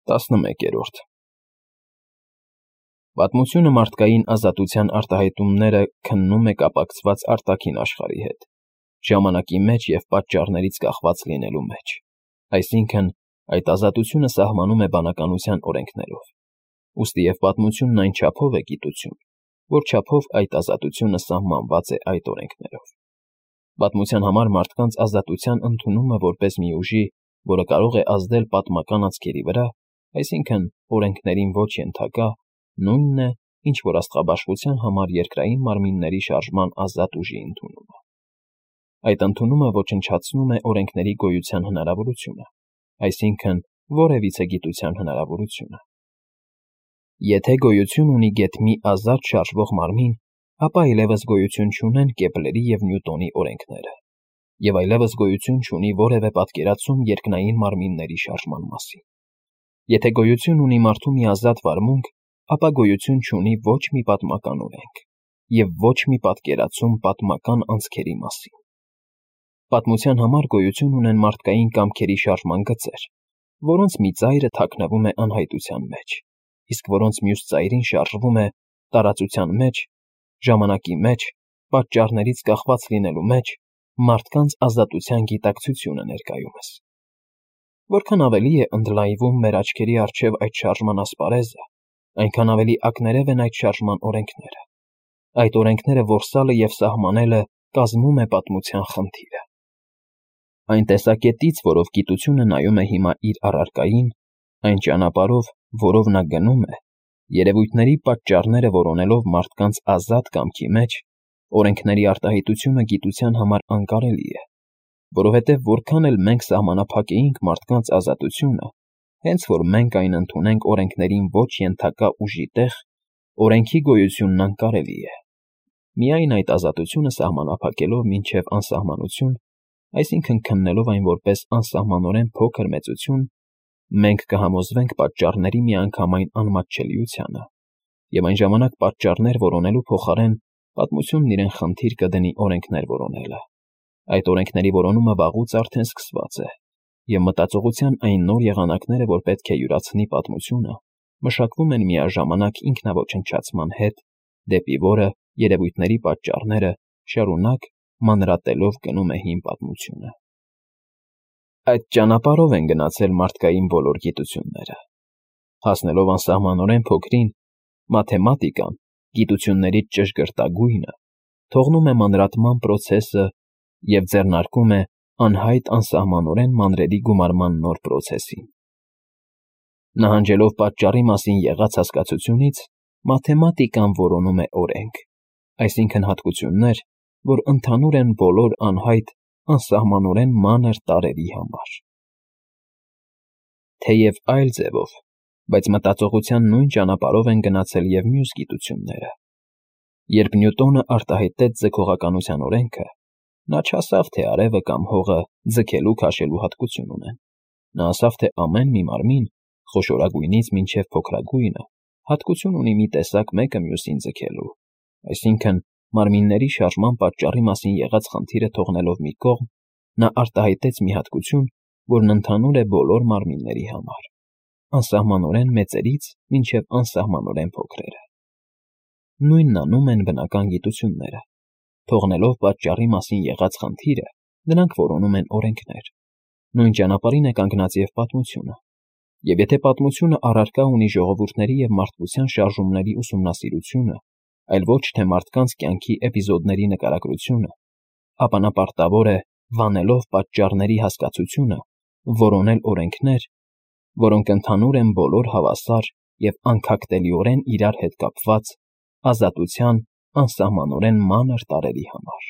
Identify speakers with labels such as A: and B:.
A: 11-րդ Պատմությունը մարդկային ազատության արտահայտումները քննում է կապակցված արտաքին աշխարհի հետ, ժամանակի մեջ և պատճառներից կախված լինելու մեջ, այսինքն՝ այդ ազատությունը սահմանում է բանականության օրենքներով, ուստի և պատմությունն այն չափով է գիտություն, որ չափով այդ ազատությունը սահմանված է այդ օրենքներով։ Պատմության համար մարդկանց ազատության ընդունումը որպես մի ուժի, որը կարող է ազդել պատմական անցքերի վրա, այսինքն օրենքներին ոչ ենթակա, նույնն է, ինչ որ աստղաբաշխության համար երկրային մարմինների շարժման ազատ ուժի ընդունումը։ Այդ ընդունումը ոչնչացնում է օրենքների գոյության հնարավորությունը, այսինքն որևիցե գիտության հնարավորությունը։ Եթե գոյություն ունի գեթմի ազատ շարժվող մարմին, ապա այլևս գոյություն չունեն Կեպլերի և Նյուտոնի օրենքները, և այլևս գոյություն չունի որևէ պատկերացում երկնային մարմինների շարժման մասին։ Եթե գոյություն ունի մարդու մի ազատ վարմունք, ապա գոյություն չունի ոչ մի պատմական օրենք և ոչ մի պատկերացում պատմական անցքերի մասին։ Պատմության համար գոյություն ունեն մարդկային կամքերի շարժման գծեր, որոնց մի ծայրը թաքնվում է անհայտության մեջ, իսկ որոնց մյուս ծայրին շարժվում է տարածության մեջ, ժամանակի մեջ, պատճառներից կախված լինելու մեջ մարդկանց ազատության գիտակցությունը ներկայումս։ Որքան ավելի է ընդլայնվում մեր աչքերի առջև այդ շարժման ասպարեզը, այնքան ավելի ակներև են այդ շարժման օրենքները։ Այդ օրենքները որսալը և սահմանելը կազմում է պատմության խնդիրը։ Այն տեսակետից, որով գիտությունը նայում է հիմա իր առարկային, այն ճանապարհով, որով նա գնում է, երևույթների պատճառները որոնելով մարդկանց ազատ կամքի մեջ, օրենքների արտահայտությունը գիտության համար անկարելի է, որովհետև որքան էլ մենք սահմանափակեինք մարդկանց ազատությունը, հենց որ մենք այն ընդունենք օրենքներին ոչ ենթակա ուժի տեղ, օրենքի գոյությունն անկարելի է։ Միայն այդ ազատությունը սահմանափակելով մինչև անսահմանություն, այսինքն քննելով այն որպես անսահմանորեն փոքր մեծություն, մենք կհամոզվենք պատճառների միանգամայն անմատչելիությանը, և այն ժամանակ պատճառներ որոնելու փոխարեն պատմությունն իրեն խնդիր կդնի օրենքներ որոնելը։ Այդ օրենքների որոնումը վաղուց արդեն սկսված է, և մտածողության այն նոր եղանակները, որ պետք է յուրացնի պատմությունը, մշակվում են միաժամանակ ինքնաոչնչացման հետ, դեպի որը երևույթների պատճառները շարունակ մանրատելով գնում է հին պատմությունը։ Այդ ճանապարհով են գնացել մարդկային բոլոր գիտությունները։ Հասնելով անսահմանորեն փոքրին, մաթեմատիկան, գիտություններից ճշգրտագույնը, թողնում է մանրատման պրոցեսը և ձեռնարկում է անհայտ անսահմանորեն մանրերի գումարման նոր պրոցեսին։ Նահանջելով պատճառի մասին եղած հասկացությունից, մաթեմատիկան որոնում է օրենք, այսինքն հատկություններ, որ ընդհանուր են բոլոր անհայտ, անսահմանորեն մանր տարրերի համար։ Թեև այլ ձևով, բայց մտածողության նույն ճանապարհով են գնացել և մյուս գիտությունները։ Երբ Նյուտոնը արտահայտեց ձգողականության օրենքը, նա չասավ, թե արևը կամ հողը ձգելու-քաշելու հատկություն ունեն։ Նա ասավ, թե ամեն մի մարմին, խոշորագույնից մինչև փոքրագույնը, հատկություն ունի մի տեսակ մեկը մյուսին ձգելու, այսինքն՝ մարմինների շարժման պատճառի մասին եղած խնդիրը թողնելով մի կողմ, նա արտահայտեց մի հատկություն, որն ընդհանուր է բոլոր մարմինների համար, անսահմանորեն մեծերից մինչև անսահմանորեն փոքրերը։ Նույնն անում են բնական գիտությունները, թողնելով պատճառի մասին եղած խնդիրը, նրանք որոնում են օրենքներ։ Նույն ճանապարհին է կանգնած և պատմությունը։ Եվ եթե պատմությունը առարկա ունի ժողովուրդների և մարդկության շարժումների ուսումնասիրությունը, այլ ոչ թե մարդկանց կյանքի էպիզոդների նկարագրությունը, ապա նա պարտավոր է, վանելով պատճառների հասկացությունը, որոնել օրենքներ, որոնք ընդհանուր են բոլոր հավասար և անքակտելիորեն իրար հետ կապված ազատության անսահմանորեն մանր տարրերի համար։